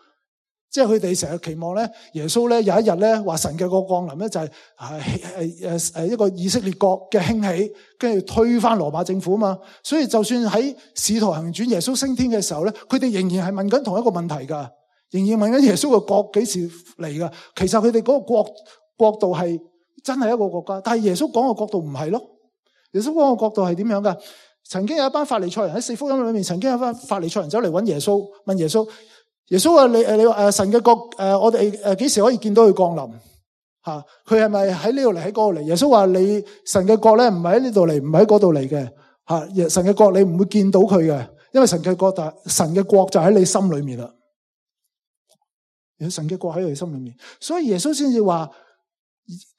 即係佢哋成日期望咧，耶穌咧有一日咧話神嘅國降臨咧，就係一個以色列國嘅興起，跟住推翻羅馬政府啊嘛。所以就算喺使徒行傳耶穌升天嘅時候咧，佢哋仍然係問緊同一個問題噶，仍然問緊耶穌嘅國幾時嚟噶。其實佢哋嗰個國度係真係一個國家，但係耶穌講嘅國度唔係咯。耶穌講嘅國度係點樣噶？曾經有一班法利賽人喺四福音裏面，曾經有一班法利賽人走嚟揾耶穌，問耶穌。耶穌話：你話神嘅國我哋幾時可以見到佢降臨？佢係咪喺呢度嚟，喺嗰度嚟？耶穌話：你神嘅國咧唔係喺呢度嚟，唔係喺嗰度嚟嘅。神嘅國你唔會見到佢嘅，因為神嘅國就喺你心裏面啦。神嘅國喺你心裏面，所以耶穌先至話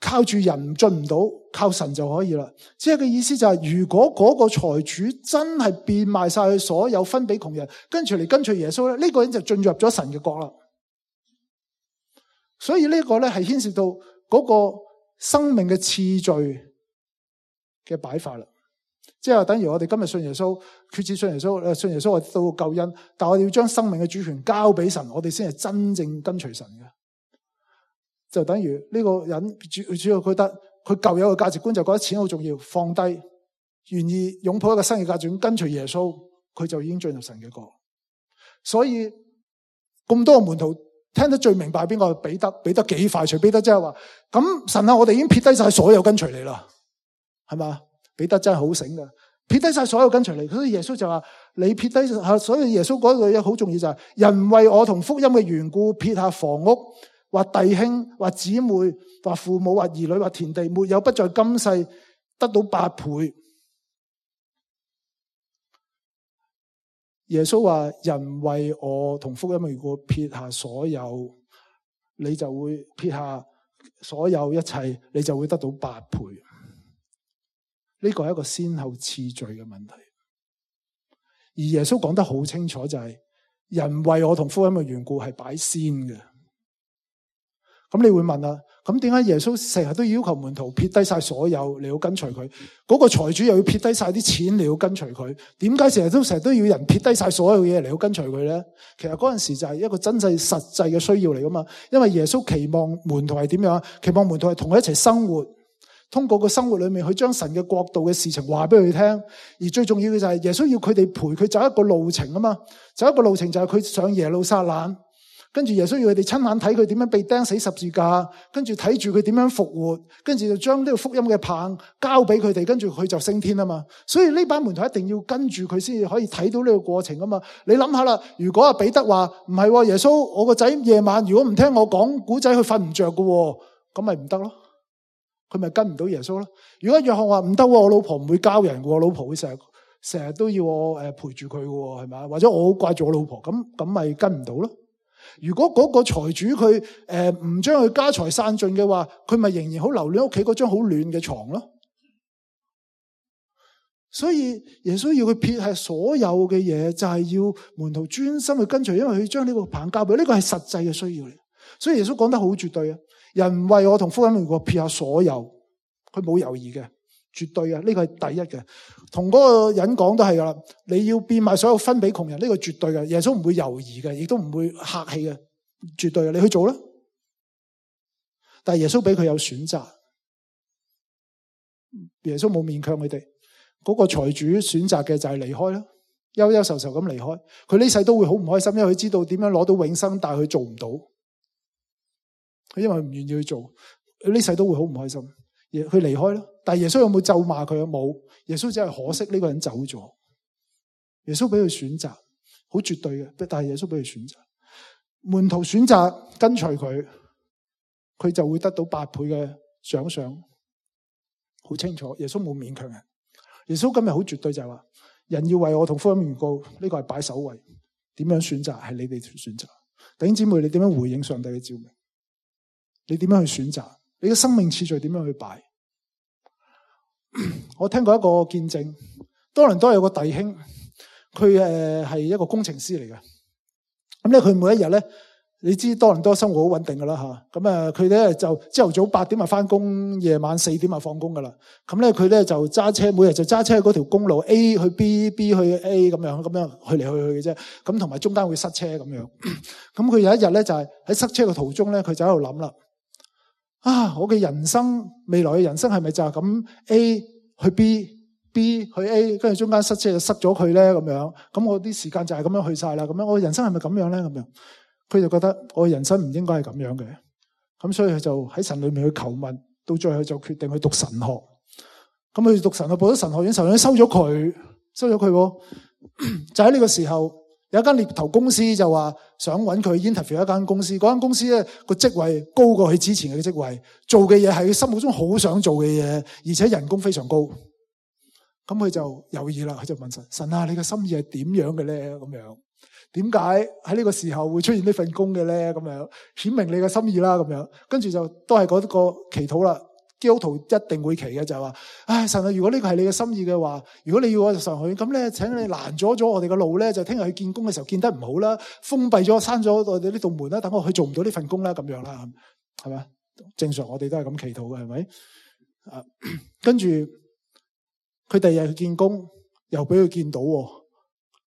靠住人進唔到，靠神就可以啦。即係個意思就係，如果嗰個財主真係變賣晒佢所有分俾窮人，跟住嚟跟隨耶穌咧，呢個人就進入咗神嘅國啦。所以呢個咧係牽涉到嗰個生命嘅次序嘅擺法啦。即係話等於我哋今日信耶穌，決志信耶穌，信耶穌我得到救恩，但我哋要將生命嘅主權交俾神，我哋先係真正跟隨神嘅。就等於呢個人主要覺得佢舊有嘅價值觀就覺得錢好重要，放低，願意擁抱一個新嘅價值觀，跟隨耶穌，佢就已經進入神嘅國。所以咁多個門徒聽得最明白邊個？彼得。彼得幾快脆？彼得即係話：咁神啊，我哋已經撇低晒所有跟隨你啦，係嘛？彼得真係好醒噶，撇低晒所有跟隨你。所以耶穌就話：你撇低，所以耶穌嗰句嘢好重要就係：人為我同福音嘅緣故，撇下房屋，或弟兄，或姊妹，或父母，或兒女，或田地，沒有不在今世得到8倍。耶穌話：人為我同福音嘅緣故，撇下所有，你就會撇下所有一切，你就會得到8倍。呢個係一個先後次序嘅問題。而耶穌講得好清楚，就係人為我同福音嘅緣故係擺先嘅。咁你會問啦，咁點解耶穌成日都要求門徒撇低晒所有你要跟隨佢？嗰個財主又要撇低晒啲錢你要跟隨佢？點解成日都要人撇低晒所有嘢嚟要跟隨佢咧？其實嗰陣時就係一個真正實際嘅需要嚟噶嘛。因為耶穌期望門徒係點樣？期望門徒係同佢一齊生活，通過個生活裏面去將神嘅國度嘅事情話俾佢聽。而最重要嘅就係耶穌要佢哋陪佢走一個路程啊嘛。走一個路程就係佢上耶路撒冷。跟住耶穌要佢哋親眼睇佢點樣被釘死十字架，跟住睇住佢點樣復活，跟住就將呢個福音嘅棒交俾佢哋，跟住佢就升天啊嘛。所以呢班門徒一定要跟住佢先至可以睇到呢個過程啊嘛。你諗下啦，如果阿彼得話唔係耶穌，我個仔夜晚如果唔聽我講古仔，佢瞓唔着㗎，咁咪唔得咯，佢咪跟唔到耶穌咯。如果約翰話唔得，我老婆唔會交人嘅，我老婆會成日都要我陪住佢嘅，係咪？或者我好掛住我老婆，咁咪跟唔到咯。如果嗰個財主佢唔將佢家財散盡嘅話，佢咪仍然好留戀屋企嗰張好暖嘅床咯。所以耶穌要佢撇下所有嘅嘢，就係要門徒專心去跟隨，因為佢將呢個棒交俾，呢個係實際嘅需要嚟。所以耶穌講得好絕對啊！人為我同福音如果撇下所有，佢冇猶豫嘅，絕對嘅，呢個係第一嘅。同嗰個人講都係噶啦，你要變賣所有分俾窮人，呢個絕對嘅。耶穌唔會猶豫嘅，亦都唔會客氣嘅，絕對嘅。你去做啦。但係耶穌俾佢有選擇，耶穌冇勉強佢哋。嗰個財主選擇嘅就係離開啦，憂憂愁愁咁離開。佢呢世都會好唔開心，因為佢知道點樣攞到永生，但係佢做唔到。佢因為唔願意去做，佢呢世都會好唔開心。佢離開啦。但係耶穌有冇咒罵佢啊？冇。耶穌只係可惜呢個人走咗。耶穌俾佢選擇，好絕對嘅。但係耶穌俾佢選擇，門徒選擇跟隨佢，佢就會得到8倍嘅獎賞。好清楚，耶穌冇勉強人。耶穌今日好絕對，就係話人要為我同福音緣故，呢個係擺首位。點樣選擇係你哋選擇。弟兄姊妹，你點樣回應上帝嘅召命？你點樣去選擇？你嘅生命次序點樣去擺？我聽過一個見證，多倫多有個弟兄，佢係一個工程師嚟嘅。咁咧，佢每一日咧，你知多倫多生活好穩定噶啦吓。咁啊，佢咧就朝頭早8點啊翻工，夜晚4點啊放工噶啦。咁咧，佢咧就揸車，每日就揸車嗰條公路 A 去 B，B 去 A 咁樣去嚟去去嘅啫。咁同埋中間會塞車咁樣。咁佢有一日咧就係喺塞車嘅途中咧，佢就喺度諗啦。啊！我嘅人生，未來嘅人生係咪就係咁 A 去 B，B 去 A， 跟住中間塞車就塞咗佢咧咁樣？咁我啲時間就係咁樣去晒啦。咁樣我嘅人生係咪咁樣咧？咁樣佢就覺得我嘅人生唔應該係咁樣嘅。咁所以佢就喺神裏面去求問，到最後就決定去讀神學。咁佢讀神學，報咗神學院，神學院收咗佢。就喺呢個時候，有一間獵頭公司就話想揾佢 interview 一間公司，嗰間公司咧個職位高過佢之前嘅職位，做嘅嘢係佢心目中好想做嘅嘢，而且人工非常高。咁佢就猶豫啦，佢就問神：神啊，你嘅心意係點樣嘅咧？咁樣點解喺呢個時候會出現呢份工嘅咧？咁樣顯明你嘅心意啦。咁樣跟住就都係嗰個祈禱啦。基督徒一定會祈嘅就係話：唉，神啊，如果呢個係你嘅心意嘅話，如果你要我上去，咁咧，請你攔咗我哋嘅路咧，就聽日去見工嘅時候見得唔好啦，封閉咗、閂咗我哋呢道門啦，等我去做唔到呢份工啦，咁樣啦，係咪？正常我哋都係咁祈禱嘅，係咪？跟住佢第二日去見工，又俾佢見到喎。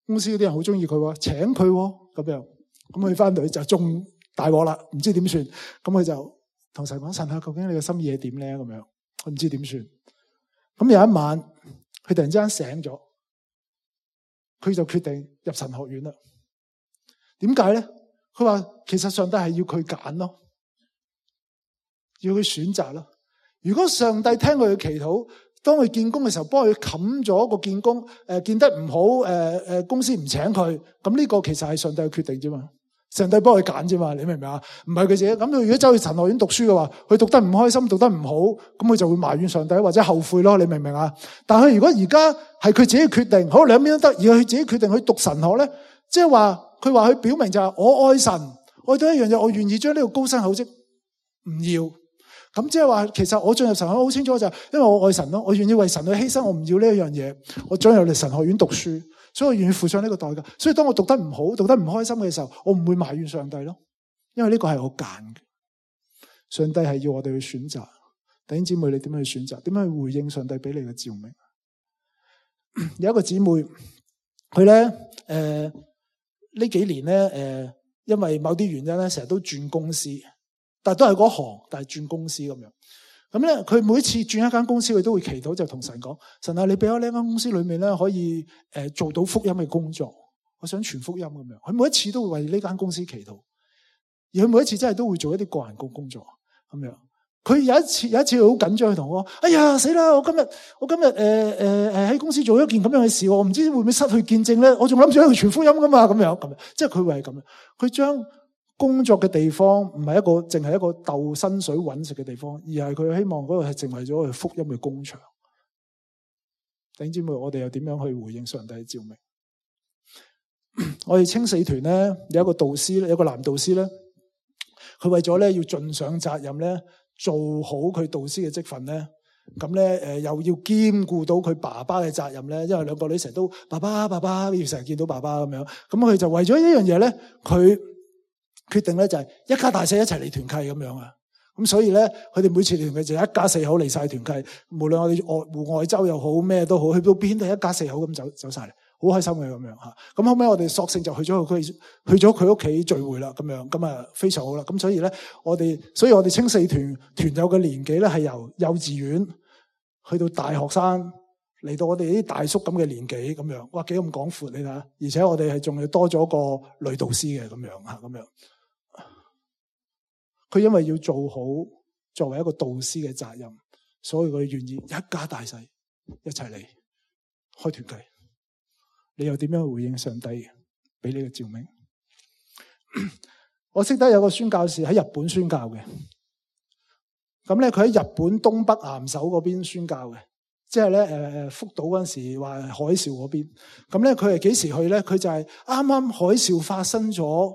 公司嗰啲人好中意佢喎，請佢喎咁樣。咁佢翻到去就中大鑊啦，唔知點算。咁佢就同神講：神啊，究竟你嘅心意係點咧？咁樣佢唔知點算。咁有一晚，佢突然之間醒咗，佢就決定入神學院啦。點解咧？佢話其實上帝係要佢揀咯，要佢選擇咯。如果上帝聽佢嘅祈禱，當佢見工嘅時候幫佢冚咗個見工，見得唔好，公司唔請佢，咁呢個其實係上帝嘅決定啫嘛。上帝幫佢揀啫嘛，你明唔明啊？唔係佢自己。咁佢如果走去神學院讀書嘅話，佢讀得唔開心，讀得唔好，咁佢就會埋怨上帝或者後悔咯。你明唔明啊？但係佢如果而家係佢自己決定，好兩邊都得，而佢自己決定去讀神學咧，即係話佢話佢表明就係我愛神，愛到一樣嘢，我願意將呢個高薪厚職唔要。咁即係話，其實我進入神學好清楚就係，因為我愛神咯，我願意為神去犧牲，我唔要呢一樣嘢，我進入嚟神學院讀書。所以我願意付上呢個代價。所以當我讀得唔好、讀得唔開心嘅時候，我唔會埋怨上帝咯，因為呢個係我揀嘅。上帝係要我哋去選擇。弟兄姊妹，你點樣去選擇？點樣去回應上帝俾你嘅召命？有一個姊妹，佢咧呢幾年咧因為某啲原因咧，成日都轉公司，但係都係嗰行，但係轉公司咁樣。咁咧，佢每次轉一間公司，佢都會祈禱，就同神講：神啊，你俾我呢間公司裏面咧，可以做到福音嘅工作，我想傳福音咁樣。佢每一次都會為呢間公司祈禱，而佢每一次真係都會做一啲個人工作咁樣。佢有一次好緊張，佢同我講：哎呀，死啦！我今日喺公司做一件咁樣嘅事，我唔知會唔會失去見證咧？我仲諗住去傳福音噶嘛，咁樣，即係佢會係咁樣。佢將工作嘅地方唔係淨係一個鬥薪水揾食嘅地方，而係佢希望嗰度係成為咗佢福音嘅工場。弟兄姊妹，我哋又點樣去回應上帝嘅召命？我哋青四團咧有一個導師咧，有一個男導師咧，佢為咗咧要盡上責任咧，做好佢導師嘅職份咧，咁咧又要兼顧到佢爸爸嘅責任咧，因為兩個女成日都爸爸，要成日見到爸爸咁樣，咁佢就為咗呢樣嘢咧，佢決定咧就係一家大細一齊嚟團契咁樣啊，咁所以咧佢哋每次團契就一家四口嚟晒團契，無論我哋戶外州又好咩都好，去到邊都係一家四口咁走晒嚟，好開心嘅咁樣吓。咁後尾我哋索性就去咗佢屋企聚會啦，咁樣咁啊非常好啦。咁所以咧我哋青四團友嘅年紀咧係由幼稚園去到大學生，嚟到我哋啲大叔咁嘅年紀咁樣，哇幾咁廣闊你睇下，而且我哋係仲要多咗個女導師嘅咁樣吓，咁樣。佢因為要做好作為一個導師嘅責任，所以佢願意一家大細一齊嚟開團契。你又點樣回應上帝俾你嘅召命？我識得有個宣教士喺日本宣教嘅，咁咧佢喺日本東北岩手嗰邊宣教嘅，即係咧福島嗰陣時話海嘯嗰邊。咁咧佢係幾時去咧？佢就係啱啱海嘯發生咗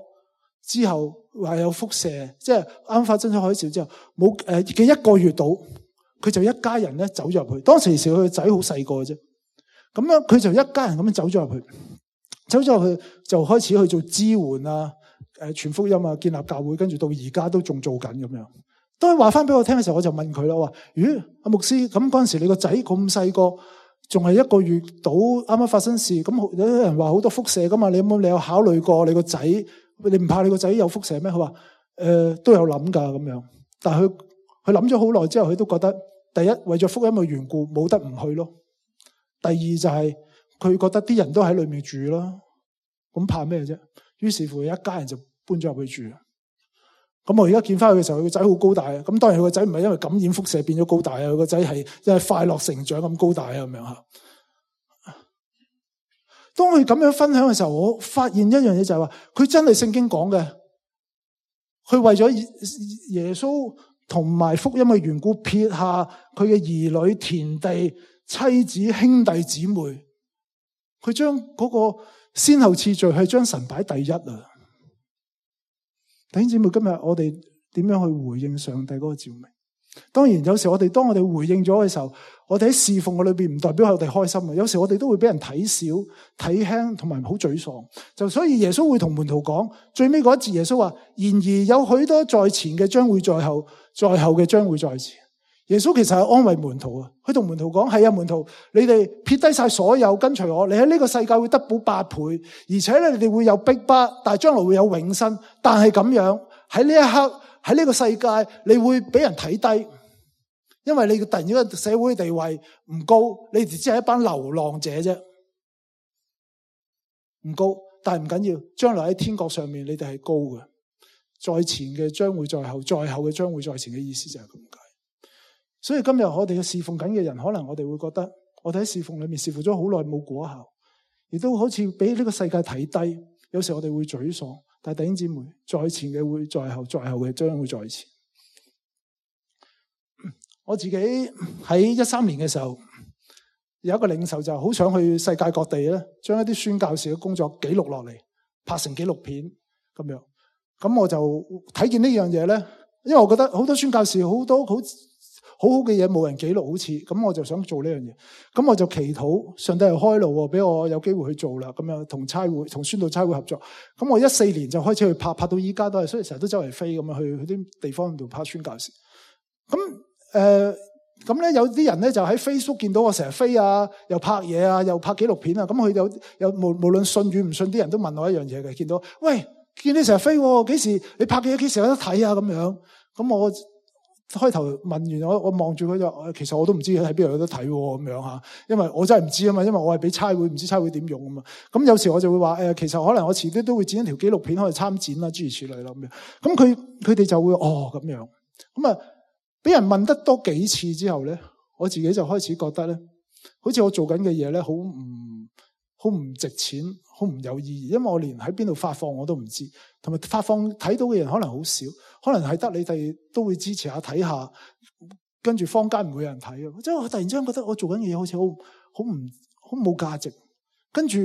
之後，話有輻射，即係啱發生咗海嘯之後，冇嘅一個月到，佢就一家人咧走咗入去。當時佢個仔好細個嘅啫，咁樣佢就一家人咁樣走咗入去就開始去做支援啊，傳福音啊，建立教會，跟住到而家都仲做緊咁樣。當佢話翻俾我聽嘅時候，我就問佢啦，我話：咦，阿牧師，咁嗰陣時你個仔咁細個，仲係一個月到，啱啱發生事，咁有人話好多輻射噶嘛？你有考慮過你個仔？你唔怕你個仔有輻射咩？佢話都有諗噶咁樣，但係佢諗咗好耐之後，佢都覺得第一為咗福音嘅緣故，冇得唔去咯。第二就係佢覺得啲人都喺裏面住啦，咁怕咩啫？於是乎一家人就搬咗入去住。咁我而家見翻佢嘅時候，佢個仔好高大啊！咁當然佢個仔唔係因為感染輻射變咗高大啊，佢個仔係因為快樂成長咁高大啊咁樣吓。當佢咁樣分享嘅時候，我發現一樣嘢就係話，佢真係聖經講嘅，佢為咗耶穌同埋福音嘅緣故，撇下佢嘅兒女、田地、妻子、兄弟姊妹，佢將嗰個先後次序係將神擺第一啊！弟兄姊妹，今日我哋點樣去回應上帝嗰個召命？當然，有時當我哋回應咗嘅時候，我哋喺侍奉嘅裏邊唔代表我哋開心啊！有時我哋都會俾人睇小、睇輕，同埋好沮喪。就所以耶穌會同門徒講，最尾嗰一節耶穌話：然而有許多在前嘅將會在後，在後嘅將會在前。耶穌其實係安慰門徒啊，佢同門徒講：係啊，門徒，你哋撇低晒所有跟隨我，你喺呢個世界會得到8倍，而且咧你哋會有逼迫，但係將來會有永生。但係咁樣喺呢一刻喺呢個世界，你會俾人睇低，因為你突然間社會地位唔高，你哋只係一班流浪者啫，唔高，但係唔緊要，將來喺天國上面你哋係高嘅，在前嘅將會在後，在後嘅將會在前嘅意思就係咁解。所以今日我哋嘅侍奉緊嘅人，可能我哋會覺得，我哋喺侍奉裏面侍奉咗好耐冇果效，亦都好似俾呢個世界睇低。有時我哋會沮喪，但係弟兄姊妹，在前嘅會在後，在後嘅將會在前。我自己喺13年嘅時候，有一個領袖就好想去世界各地咧，將一啲宣教士嘅工作記錄落嚟，拍成紀錄片咁樣。咁我就睇見呢樣嘢咧，因為我覺得好多宣教士好多好嘅嘢冇人記錄，好似咁，我就想做呢樣嘢。咁我就祈禱上帝又開路，俾我有機會去做啦。咁樣同宣道差會合作。咁我14年就開始去拍到依家都係，所以成日都周圍飛咁樣去啲地方度拍宣教士。咁咧有啲人咧就喺 Facebook 見到我成日飛啊，又拍嘢啊，又拍紀錄片啊。咁佢有無論信與唔信啲人都問我一樣嘢嘅，見到喂，見你成日飛，幾時你拍嘅嘢幾時有得睇啊？咁樣，咁我開頭問完我望住佢就，其實我都唔知喺邊度有得睇咁樣吓，因為我真係唔知啊嘛，因為我係俾差會，唔知差會點用啊嘛。咁有時我就會話其實可能我遲啲都會剪一條紀錄片可以參展啦，諸如此類啦咁樣。咁佢哋就會咁樣。咁啊，俾人問得多幾次之後咧，我自己就開始覺得咧，好似我做緊嘅嘢咧，好唔值錢，好唔有意義，因為我連喺邊度發放我都唔知，同埋發放睇到嘅人可能好少，可能係得你哋都會支持下睇下，跟住坊間唔會有人睇啊！即係我突然之間覺得我做緊嘅嘢好似好冇價值，跟住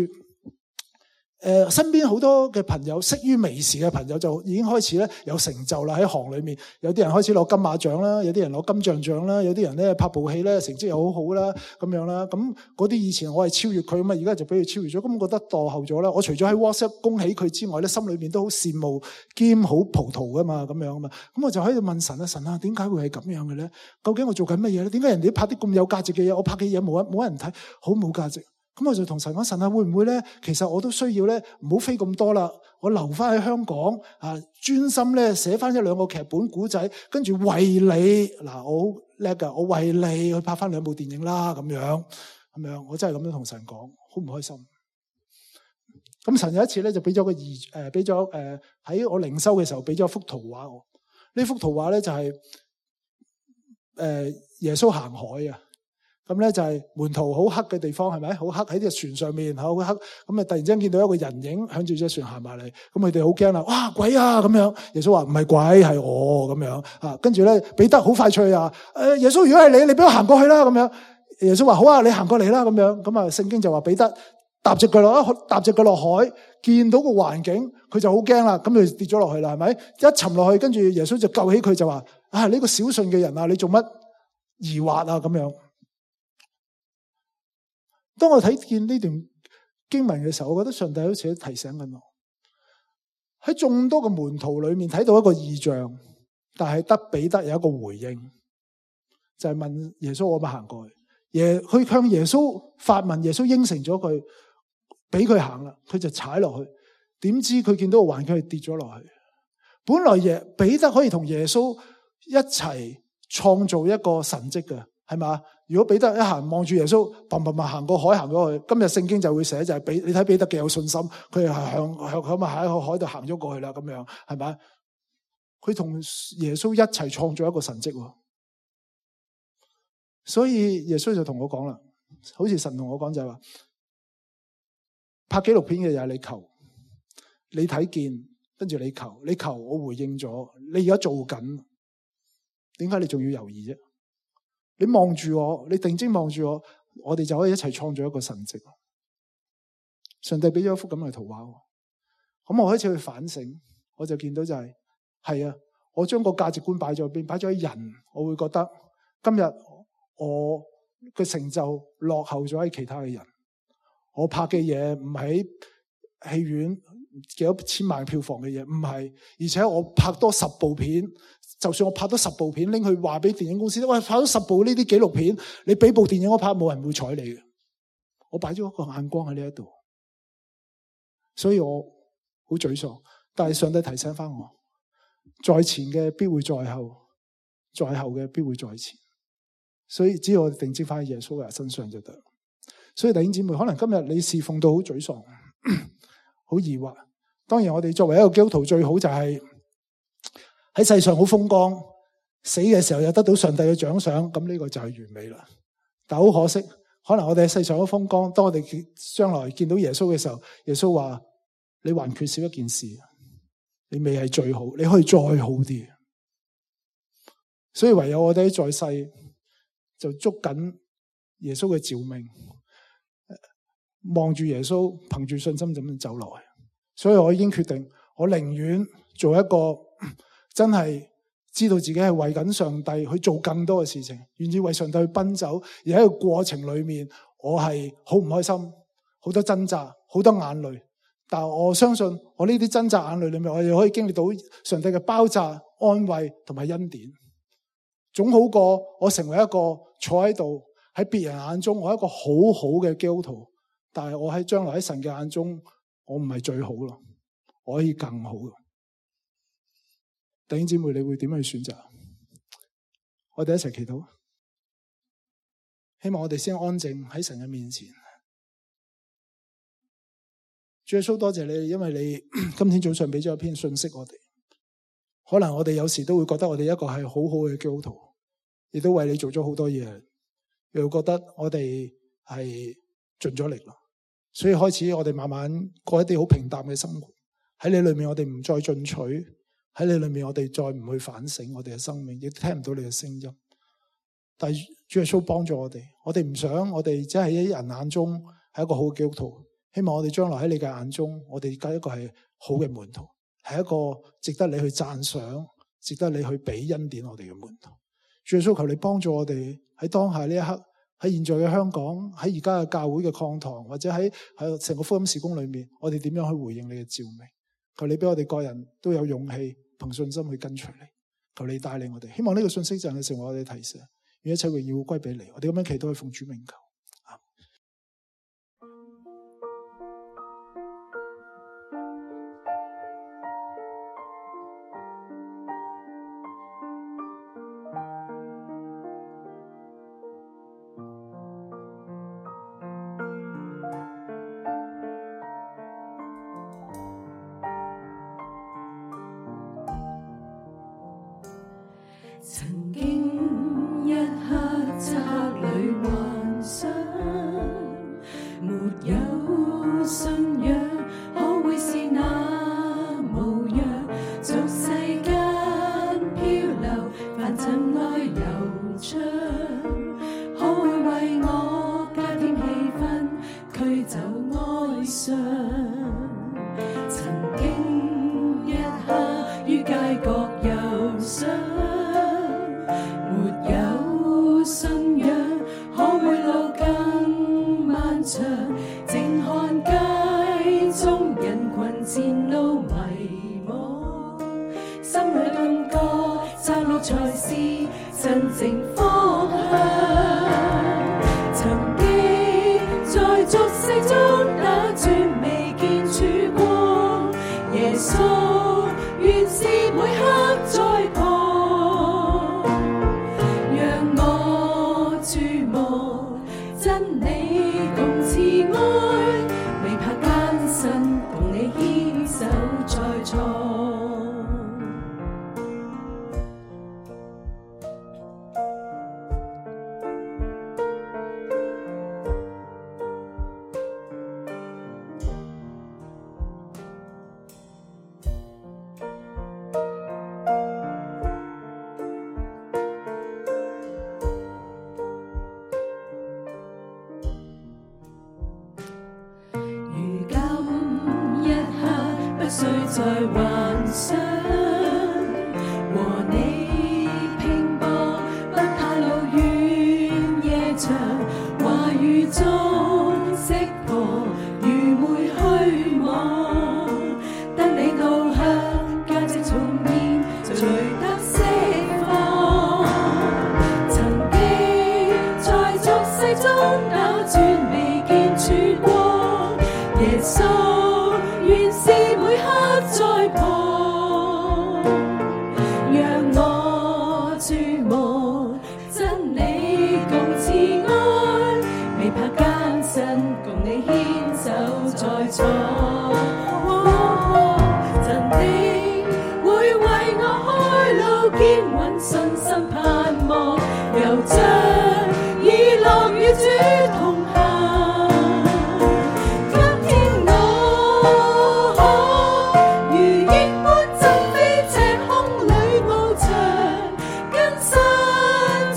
身邊好多嘅朋友，識於微時嘅朋友就已經開始咧有成就啦，喺行裏面，有啲人開始攞金馬獎啦，有啲人攞金像獎啦，有啲人咧拍部戲咧成績又好好啦，咁樣啦。咁嗰啲以前我係超越佢啊嘛，而家就俾佢超越咗，咁我覺得墮後咗啦。我除咗喺 WhatsApp 恭喜佢之外咧，心裏面都好羨慕兼好葡萄噶嘛，咁樣啊嘛。咁我就喺度問神啊，神啊，點解會係咁樣嘅咧？究竟我做緊乜嘢咧？點解人哋拍啲咁有價值嘅嘢，我拍嘅嘢冇人睇，好冇價值？咁我就同神講，神啊，會唔會咧？其實我都需要咧，唔好飛咁多啦，我留翻喺香港啊，專心咧寫翻1-2個劇本古仔，跟住為你嗱，我好叻噶，我為你去拍翻2部電影啦，咁樣，我真係咁樣同神講，好唔開心。咁神有一次咧就俾咗喺我靈修嘅時候俾咗幅圖畫我，呢幅圖畫咧就係耶穌行海啊。咁咧就係門徒好黑嘅地方，係咪？好黑喺隻船上面，好黑。咁啊，突然之間見到一個人影向住隻船行埋嚟，咁佢哋好驚啦！哇，鬼啊！咁樣，耶穌話唔係鬼，係我咁樣啊。跟住咧，彼得好快脆啊！耶穌，如果係你俾我行過去啦，咁樣。耶穌話好啊，你行過嚟啦，咁樣。咁啊，聖經就話彼得踏隻腳落海，見到個環境，佢就好驚啦，咁就跌咗落去啦，係咪？一沉落去，跟住耶穌就救起佢，就話啊，呢個小信嘅人啊，你做乜疑惑啊？咁樣。當我睇見呢段經文嘅時候，我覺得上帝好似提醒緊我，喺眾多嘅門徒裏面睇到一個異象，但係得彼得有一個回應，就係問耶穌可唔可以行過去？佢向耶穌發問，耶穌應承咗佢，俾佢行啦，佢就踩落去，點知佢見到個環境係跌咗落去。本來彼得可以同耶穌一齊創造一個神蹟嘅，係嘛？如果彼得一行望住耶穌，砰砰砰行過海行咗去，今日聖經就會寫就係你睇彼得幾有信心，佢係向喺個海度行咗過去啦，咁樣係咪？佢同耶穌一齊創造一個神蹟，所以耶穌就同我講啦，好似神同我講就係話，拍紀錄片嘅嘢你求，你睇見，跟住你求，我回應咗，你而家做緊，點解你仲要猶豫啫？你望住我，你定睛望住我，我哋就可以一齊創造一個神蹟。上帝俾咗一幅咁嘅圖畫，咁我開始去反省，我就見到就係啊，我將個價值觀擺咗邊，擺咗喺人，我會覺得今日我嘅成就落後咗喺其他嘅人。我拍嘅嘢唔喺戲院幾多千萬票房嘅嘢，唔係，而且我拍多10部片，就算我拍咗10部片，拎去話俾電影公司，喂，拍咗10部呢啲紀錄片，你俾部電影我拍，冇人會睬你嘅。我擺咗一個眼光喺呢一度，所以我好沮喪。但係上帝提醒翻我，在前嘅必會在後，在後嘅必會在前。所以只要我哋定睛翻喺耶穌嘅身上就得。所以弟兄姊妹，可能今日你侍奉到好沮喪，好疑惑。當然我哋作為一個基督徒，最好就係喺世上好風光，死嘅時候又得到上帝嘅獎賞，咁呢個就係完美啦。但好可惜，可能我哋喺世上好風光，當我哋將來見到耶穌嘅時候，耶穌話你還缺少一件事，你未係最好，你可以再好啲。所以唯有我哋在世就捉緊耶穌嘅召命，望住耶穌，憑住信心咁樣走落去。所以我已經決定，我寧願做一個真係知道自己係為緊上帝去做更多嘅事情，願意為上帝去奔走，而喺個過程裏面，我係好唔開心，好多掙扎，好多眼淚。但我相信，我呢啲掙扎眼淚裏面，我哋可以經歷到上帝嘅包紮、安慰同埋恩典，總好過我成為一個坐喺度喺別人眼中我係一個好好嘅基督徒，但係我喺將來喺神嘅眼中，我唔係最好咯，我可以更好咯。弟兄姊妹，你會點去選擇？我哋一齊祈禱，希望我哋先安靜喺神嘅面前。主耶穌，多謝你，因為你今天早上俾咗一篇信息我哋。可能我哋有時都會覺得我哋一個係好好嘅基督徒，亦都為你做咗好多嘢，又覺得我哋係盡咗力啦。所以開始我哋慢慢過一啲好平淡嘅生活。喺你裏面我哋唔再進取，喺你裏面我哋再唔去反省我哋嘅生命，亦聽唔到你嘅聲音。但係主耶穌幫助我哋唔想我哋只係喺人眼中係一個好嘅基督徒，希望我哋將來喺你嘅眼中，我哋而家一個係好嘅門徒，係一個值得你去讚賞、值得你去俾恩典我哋嘅門徒。主耶穌，求你幫助我哋喺當下呢一刻，喺現在嘅香港，喺而家嘅教會嘅講堂，或者喺成個福音事工裏面，我哋點樣去回應你嘅召命？求你俾我哋個人都有勇氣，憑信心去跟隨你。求你帶領我哋，希望呢個信息就係成為我哋提醒，願一切榮耀歸俾你。我哋咁樣祈禱，去奉主名求。曾經一刻漆黑裏幻想，沒有信仰可會是那模樣？俗世間漂流，凡塵愛悠長，可會為我加添氣氛，驅走哀傷？曾經一刻於街角遊想，沒有信仰，可會路更漫長？靜看街中人群前路迷惘，心裏感覺窄路才是真正方向。曾經在俗世中打轉，未見曙光，耶穌原是每刻在旁。注目真理共慈愛，未怕艱辛，同你牽手再創。不需再幻想，和你拼搏，不怕路遠夜長，話語中識破愚昧虛妄，得你導向價值重現，隨得釋錯。真的會為我開路，堅穩信心盼望，又將以樂與主同行。今天我可如鷹般振飛，赤空裏翱翔，跟身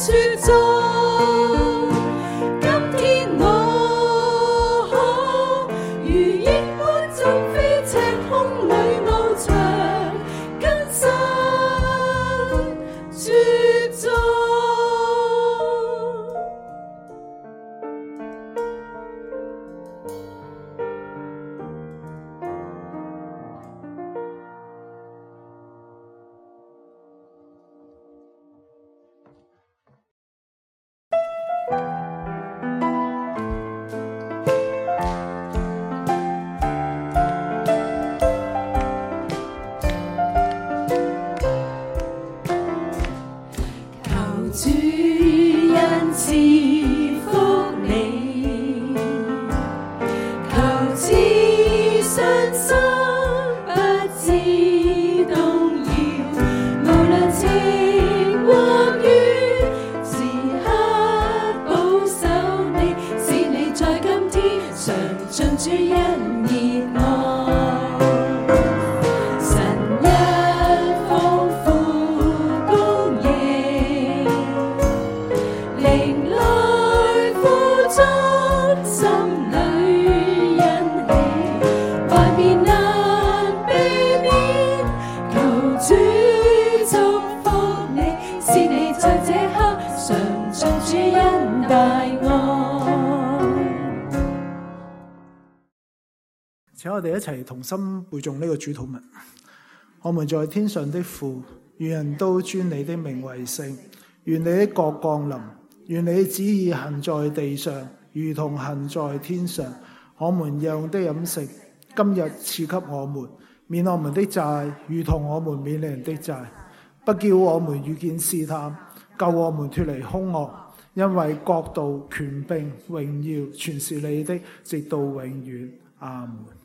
處中。今天我可如鷹般振飛，赤空裏翱翔，跟身處中。求主恩賜福你，求賜信心不致動搖，無論晴或雨，時刻保守你，使你在今天常盡主恩熱愛。神一豐富供應，靈來富足，心裏欣喜，萬變難避免，求主祝福你，使你在這刻常盡主恩大愛。請我哋一齊同心背誦呢個主禱文。我們在天上的父，願人都尊你的名為聖，願你的國降臨，願你的旨意行在地上，如同行在天上。我們日用的飲食，今日賜給我們，免我們的債，如同我們免人的債，不叫我們遇見試探，救我們脫離兇惡。因為國度、權柄、榮耀，全是你的，直到永遠。阿門。